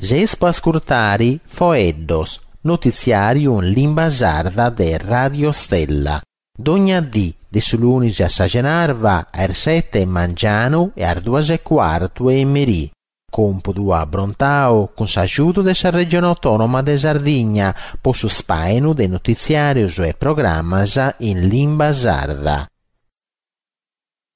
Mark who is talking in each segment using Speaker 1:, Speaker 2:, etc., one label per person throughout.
Speaker 1: Seis po ascurtare Foeddos, notitziàriu in limba sarda de Radio Stella. Dogna dì, de su lunis a sa cenarba, a is sete 'e mangianu e a is duas e cuartu 'e merì. Còmpudu abrontau cun s'agiudu de sa Regione Autònoma de Sardigna po su spàinu de notitziàrios e programmas in limba sarda.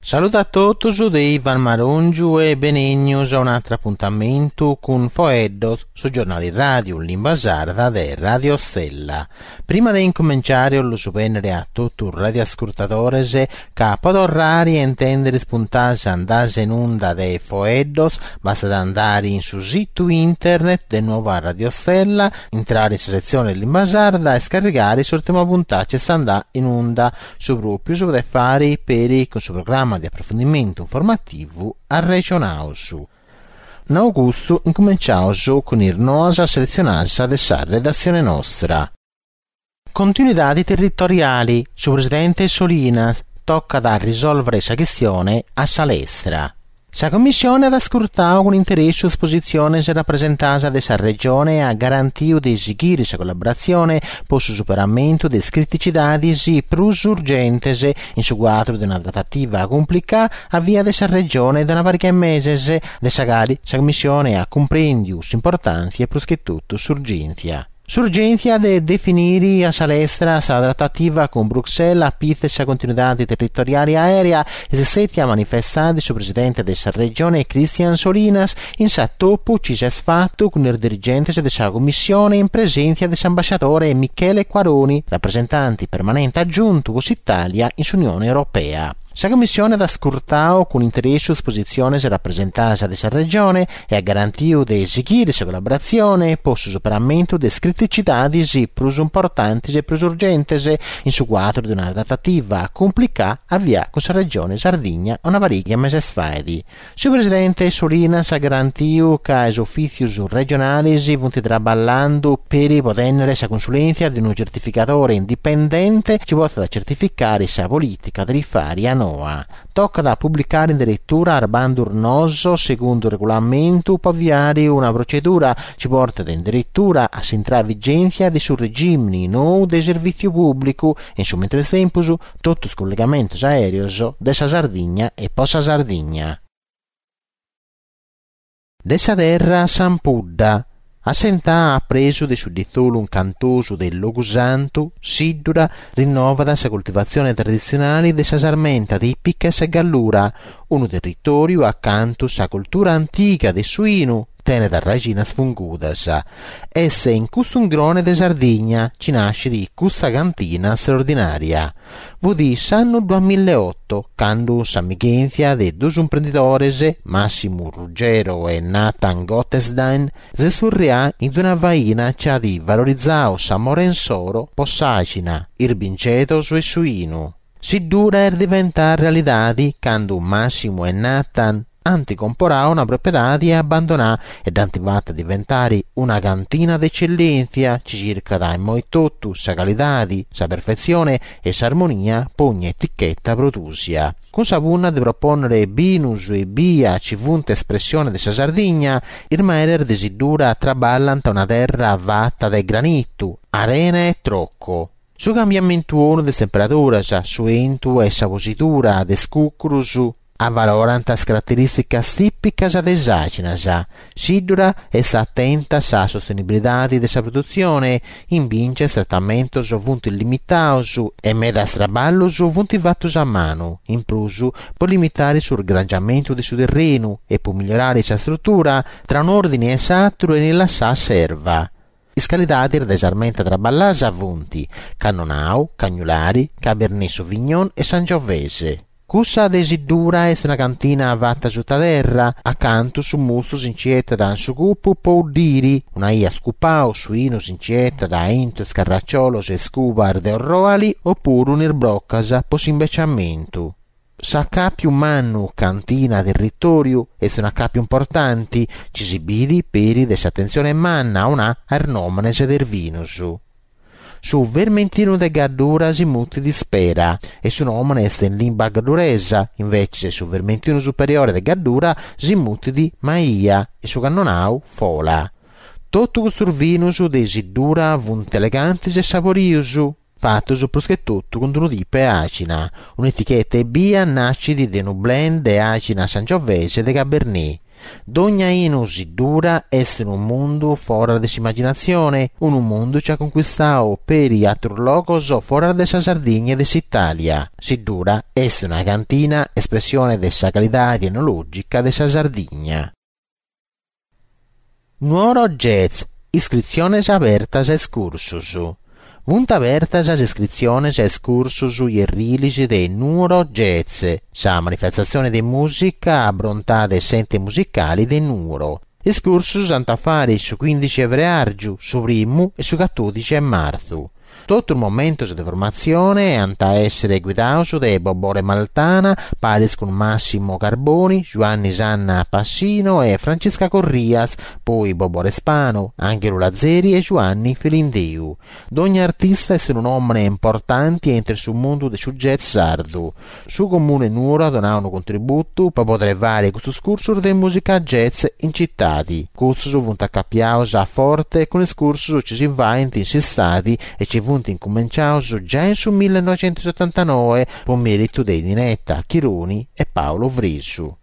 Speaker 1: Saludu a totus de Ivan Marongiu e benènnios a un'àteru apuntamentu cun Foeddos, su giornali ràdiu in limba sarda de Radio Stella. Prima de incumenciare 'ollu bènnere a totu is radioascurtadores ca po torrare a intèndere is puntadas andadas in unda de Foeddos bastat andare in su situ internet de Nuova Radio Stella, intrare in sa setzione limba sarda e scarrigare s'ùrtima puntada chi est andada in unda. Su pròpiu si podet fàere peri cun su programma de aprofundimentu informativu Arrexonaus. Nau custu, incumenciaus cun is noas seletzionadas de sa redatzione nostra. Continuidade territoriale, su presidente Solinas, tocat a risòlvere sa chistione a sa lestra. Sa Commissione at ascurtau cun interessu is positziones rapresentadas de sa Regione e at garantiu de sighire sa collaboratzione po su superamentu de is criticidades prus urgentes in su cuadru de una tratativa cumplicada avviada de sa Regione de una pariga 'e meses, de sa cale sa Commissione at cumprèndiu s'importàntzia e prus che totu s'urgèntzia. S'urgèntzia de definire a sa lestra sa tratativa cun Bruxelles a pitzu de sa continuidade territoriale aèrea est stètia manifestada de su presidente de sa Regione Christian Solinas in s'atopu chi s'est fatu cun is dirigentes de sa Commissione in presèntzia de s'ambasciadore Michele Quaroni, rapresentante permanente agiuntu po s'Itàlia in s'Unione Europea. Sa Commissione at ascurtau cun interessu is positziones rapresentadas de sa Regione e at garantiu de sighire sa collaboratzione po su superamentu de is criticidades prus importantes e prus urgentes in su cuadru de una tratativa cumplicada avviada cun sa Regione Sardigna una pariga 'e meses faet. Su presidente Solinas at garantiu ca is ufìtzios regionales funt traballando peri po tènnere sa consulèntzia de unu certificadore indipendente chi potzat certificare sa polìtica tarifària noa. Tocat a publicare in deretura is bandus noos segundu regulamentu po aviare una procedura chi portet in deretura a s'intrada in vigèntzia de su regìmini nou de servìtziu pùblicu e in su mentres tempus totu is collegamentos aèreos de sa Sardigna e po sa Sardigna. De sa terra s'ampudda. Assentada a presu de su ditzolu incantosu de Logusantu, Siddura rinnovat sa coltivatzione traditzionale de sa sarmenta tìpica 'e sa Gallura, unu territòriu acantu sa cultura antiga de su 'inu tenet arraxinas fungudas. Est in custu ungrone de Sardigna chi nascit custa cantina straordinària. Fut s'annu duamillaeoto, candu s'amighèntzia de duos imprendidores, Massimu Ruggiero e Nathan Gottesdiener, s'est furrià in una faina chi at valorizadu s'amore insoro po s'àxina, is bingedos e su 'inu. Siddura est diventada realidade cando Massimo e Nathan ant comporadu una propiedade abbandonada e dd'ant fata diventare una cantina de ecellèntzia chi circat immoi totu sa calidade, sa perfetzione e s'armonia po ogni eticheta prodùsia. Cun sa punna de propònnere binus ebbia chi funt espressione de sa Sardigna, is meres de Siddura traballant una terra fata de granitu, arena e troco. Su cambiamentu 'onu de is temperaduras, su 'entu e sa posidura de is cùcurus avalorant is caraterìsticas tìpicas de is àxinas. Siddura est atenta a sa sostenibilidade de sa produtzione, in bìngia is tratamentos funt limitados e medas traballos funt fatos a manu, in prus po limitare su sgrangiamentu de su terrenu e po migliorare sa strutura, tra un'òrdine e s'àteru 'enit lassada s'erva. Is calidadis de sarmenta traballasa funt, Cannonau, Cagnulari, Cabernet Sauvignon e Sangiovese. Cussa de Siddura est una cantina fata suta terra, acantu su mustu si nci 'etat in su cupu po 'uddiri, una 'ia scupau su 'inu si nci 'etat aintru is carracciolos e is cubas de orroali opuru in is brocas po s'imbeciamentu. S'acàpiu mannu cantina-territòriu est un'acàpiu importanti chi si bidi peri de s'atentzione manna 'onà a is nòmenes de is binus. Su vermentinu de Gaddura si mutit Spera e su nòmene est in limba gadduresa, inveces su vermentinu superiore de Gaddura si mutit Maia e su cannonau Fola. Totu custus vinus de Siddura funt elegantis e saborius, fatus prus che totu cun unu tipu 'e àxina. Un'eticheta ebbia nascit de unu blend de àxina Sangiovese e de Cabernet. Dogna 'inu Siddura est unu mundu foras de s'imaginatzione, unu mundu chi at concuistau peri atrus logos foras de sa Sardigna e de s'Italia. Siddura est una cantina espressione de sa calidadi enologica de sa Sardigna. Nuoro Jazz, iscritziones abertas a is cursos. Funt abertas is iscritziones a is cursos ierrilis de Nuoro Jazz, sa manifestatzione de mùsica abrontada de s'Ente Musicale de Nuoro. Is cursos s'ant a fare su quindixi 'e freàrgiu, su primu e su catòdixi 'e martzu. Totu is momentos de formatzione ant a èssere guidados de Bobore Maltana, paris cun Massimo Carboni, Giuanni Sanna Passino e Francisca Corrias, poi Bobore Spano, Anghelu Lazzeri e Giuanni Filindeu. Dogna artista est unu nòmene importanti intre su mundu de su jazz sardu. Su Comune 'e Nuoro at donadu unu contributu po podere fare custos cursos de mùsica jazz in citadi. Custos funt acapiados a forte cun is cursos chi si faint in s'istadi e chi funt incumenciados giai in su millenoixentosetantanoe po meritu de Ninetta Chironi e Paolo Fresu.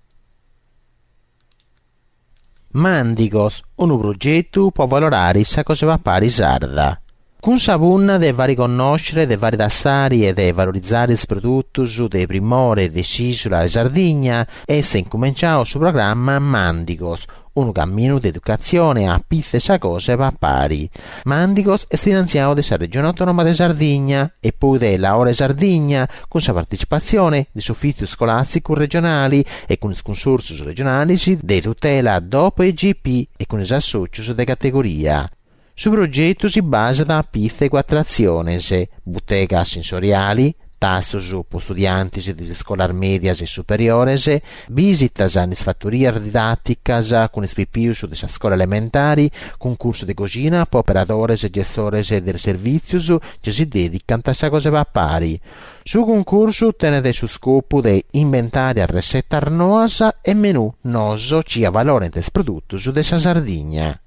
Speaker 1: Màndigos, unu progetu po avalorare sa cosa 'e papare sarda. Cun sa punna de fare connòschere, de fare tastare e de valorizare is produtos de primore de s'ìsula de Sardigna, est incumenciadu su programma Màndigos, unu caminu de educatzione a pitzu 'e sa cosa 'e papare. Màndigos est finantziadu de sa Regione Autonoma de Sardigna e poi de Laore Sardigna, cun sa partecipatzione de s'Ufìtziu Iscolàsticu Regionali e cun is Cunsòrtzios Regionales de Tutela Dop e Igp e cun is assòtzios de categoria. Su progetu si basat a pitzu 'e cuatru atziones, butega sensoriali, tastos po istudiantes de is iscolas mèdias e superiores, bisitas in is fatorias didàticas cun is pipius de sa scola elementari, cuncursu de coxina po operadores e gestores de is servìtzios chi si dèdicant a sa cosa 'e papare. Su cuncursu tenet su scopu de imbentare arresetas noas e menù noos chi avalorent is produtos de sa Sardigna.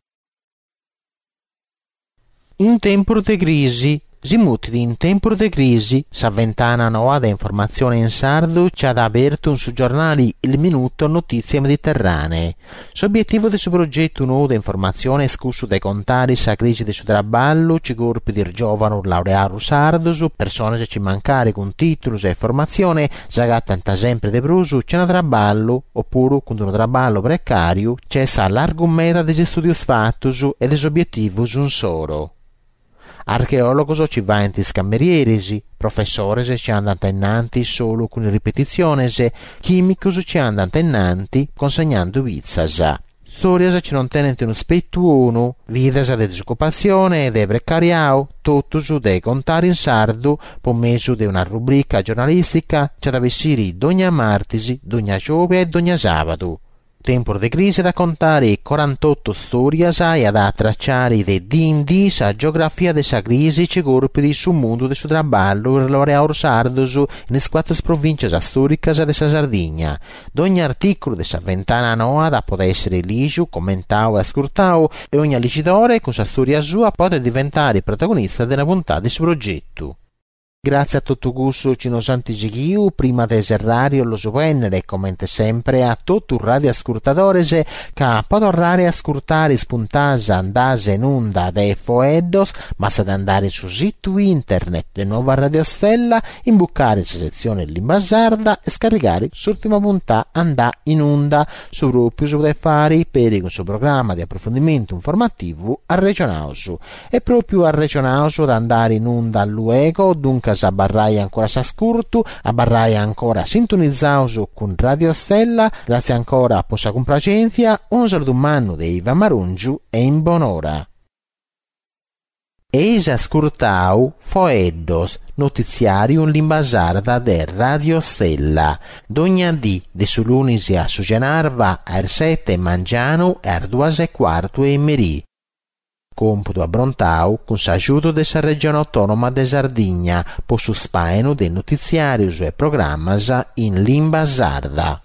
Speaker 1: In tempus de crisi, Si mutit In tempus de crisi, sa ventana noa de informatzione in sardu chi at abertu in su giornali Il Minuto Notizie Mediterranee. S'obietivu de su progetu nou de informatzione est cussu de contare sa crisi de su traballu chi corpit is giòvanos laureados sardos, persones chi mancari cun tìtulos e formatzione s'agatant sempre de prus chena traballu opuru cun unu traballu precàriu chi est a largu meda de is istùdios fatos e de is obietivos insoro. Archeòlogos chi faent is camerieris, professores chi andant innanti solu cun is ripetitziones, chìmicos chi andant innanti consegnando pitzas. Stòrias chi non tenent unu spetu 'onu, vidas de disocupatzione e de precariau, totus de contare in sardu po mesu de una rubrica giornalìstica chi at a bessiri dogna martis, dogna giòbia e dogna sàbadu. Tempus de crisi at a contare corantoto stòrias e at a traciare de dì in dì sa geografia de sa crisi chi corpit su mundu de su traballu e is laureados sardos in is cuatru provìntzias stòricas de sa Sardigna. Dogna artìculu de sa ventana noa at a poder èssere lìgiu, commentau e ascurtau e ogna ligidore cun sa stòria sua podet diventare protagonista de una puntada de su progetu. Gràtzias a totu cussu chi nos ant sighiu, prima de serrare 'ollu bennere, comente sempre, a totu is radioascurtadores ca po torrare a ascurtare is puntas andas in unda de Foeddos bastat andare in su situ internet de Nuova Radio Stella, imbucare in sa setzione Limba Sarda e scarrigare s'ùrtima puntà andà in unda, su pròpiu si podet fare peri cun su programma de aprofundimentu informativu Arrexonaus. E pròpiu Arrexonaus at a andare in unda luego, duncas abarrai ancora a s'ascurtu, abarrai ancora sintonizaus cun Radio Stella, gràtzias ancora po sa cumpraxèntzia, unu saludu mannu de Ivan Marongiu e in bonora. Eis ascurtau Foeddos, notitziàriu in limba sarda de Radio Stella, dogna dì de su lunis a su cenarba a is sete 'e mangianu e a is duas e cuartu 'e merì. Còmpudu abrontau cun s'agiudu de sa Regione Autònoma de Sardigna po su spàinu de notitziàrios e programmas in limba sarda.